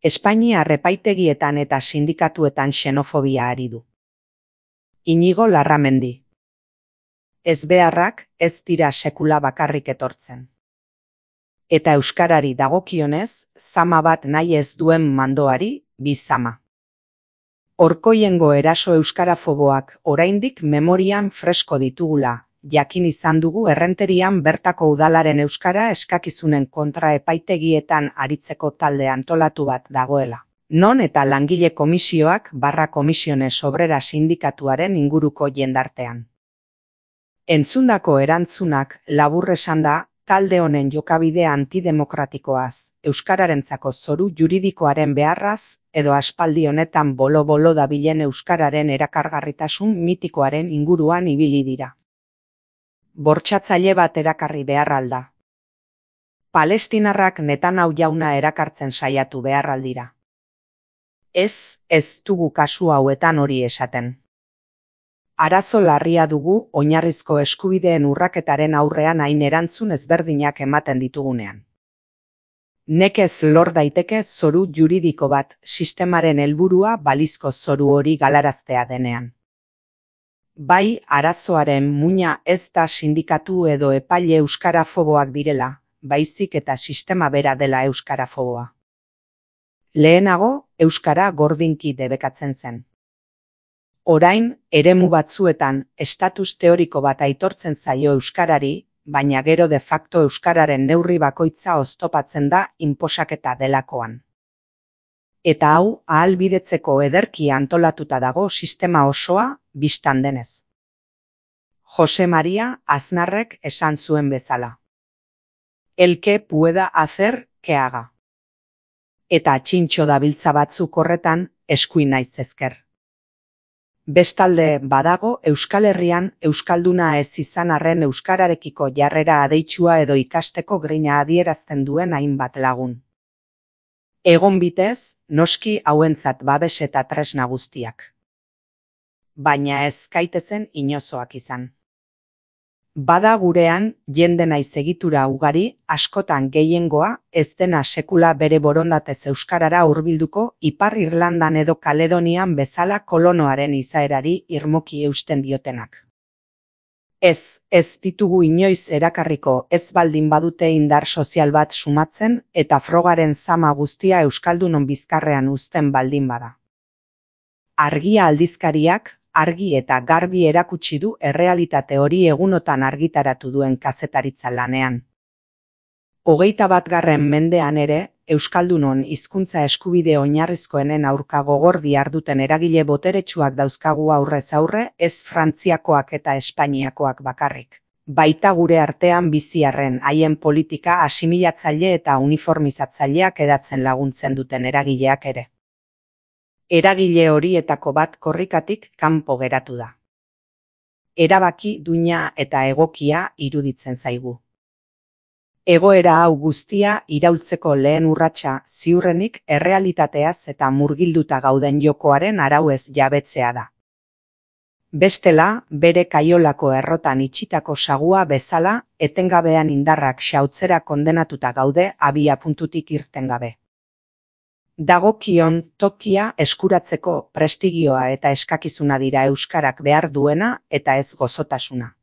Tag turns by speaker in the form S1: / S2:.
S1: Espainiar epaitegietan eta sindikatuetan xenofobia ari du. Inigo Larramendi. Ezbeharrak ez dira sekula bakarrik etortzen. Eta euskarari dagokionez, zama bat nahi ez duen mandoari, bi zama. Orkoiengo eraso euskarafoboak oraindik memorian fresko ditugula, jakin izan dugu Errenterian bertako udalaren euskara eskakizunen kontra epaitegietan aritzeko talde antolatu bat dagoela. Non eta langile komisioak / Komisiones Obrera sindikatuaren inguruko jendartean. Entzundako erantzunak labur esanda, talde honen jokabide antidemokratikoaz, euskararentzako zoru juridikoaren beharraz, edo aspaldi honetan bolo-bolo dabilen euskararen erakargarritasun mitikoaren inguruan ibili dira. Bortxatzaile bat erakarri behar alda. Palestinarrak Netanyahu jauna erakartzen saiatu behar aldira. Ez dugu kasu hauetan hori esaten. Arazo larria dugu oinarrizko eskubideen urraketaren aurrean hain erantzun ezberdinak ematen ditugunean. Nekez lor daiteke zoru juridiko bat sistemaren helburua balizko zoru hori galaraztea denean. Bai, arazoaren muina ez da sindikatu edo epaile euskarafoboak direla, baizik eta sistema bera dela euskarafoboa. Lehenago, euskara gordinki debekatzen zen. Orain, eremu batzuetan, estatus teoriko bat aitortzen zaio euskarari, baina gero de facto euskararen neurri bakoitza oztopatzen da inposaketa delakoan. Eta hau, ahalbidetzeko ederki antolatuta dago sistema osoa, bistan denez. Jose Maria Aznarrek esan zuen bezala. El que pueda hacer, que haga. Eta txintxo dabiltza batzuk horretan, eskuin naiz ezker. Bestalde badago Euskal Herrian euskalduna ez izan arren euskararekiko jarrera adeitsua edo ikasteko grina adierazten duen hainbat lagun. Egon bitez, noski hauentzat babes eta tresna guztiak. Baina ez gaitezen inozoak izan. Bada gurean, jende naiz egitura ugari, askotan gehiengoa, ez dena sekula bere borondatez euskarara hurbilduko Ipar Irlandan edo Kaledonian bezala kolonoaren izaerari irmoki eusten diotenak. Ez ditugu inoiz erakarriko ez baldin badute indar sozial bat sumatzen eta frogaren zama guztia euskaldunon bizkarrean uzten baldin bada. Argia aldizkariak, argi eta garbi erakutsi du errealitate hori egunotan argitaratu duen kazetaritza lanean. 21. mendean ere, euskaldunon hizkuntza eskubide oinarrizkoenen aurka gogor diharduten eragile boteretsuak dauzkagu aurrez aurre, ez Frantziakoak eta Espainiakoak bakarrik. Baita gure artean biziarren haien politika asimilatzaile eta uniformizatzaileak edatzen laguntzen duten eragileak ere. Eragile horietako bat korrikatik kanpo geratu da. Erabaki duina eta egokia iruditzen zaigu. Egoera hau guztia iraultzeko lehen urratsa ziurrenik errealitateaz eta murgilduta gauden jokoaren arauez jabetzea da. Bestela, bere kaiolako errotan itxitako sagua bezala, etengabean indarrak xautzera kondenatuta gaude abiapuntutik irten gabe. Dagokion tokia eskuratzeko prestigioa eta eskakizuna dira euskarak behar duena eta ez gozotasuna.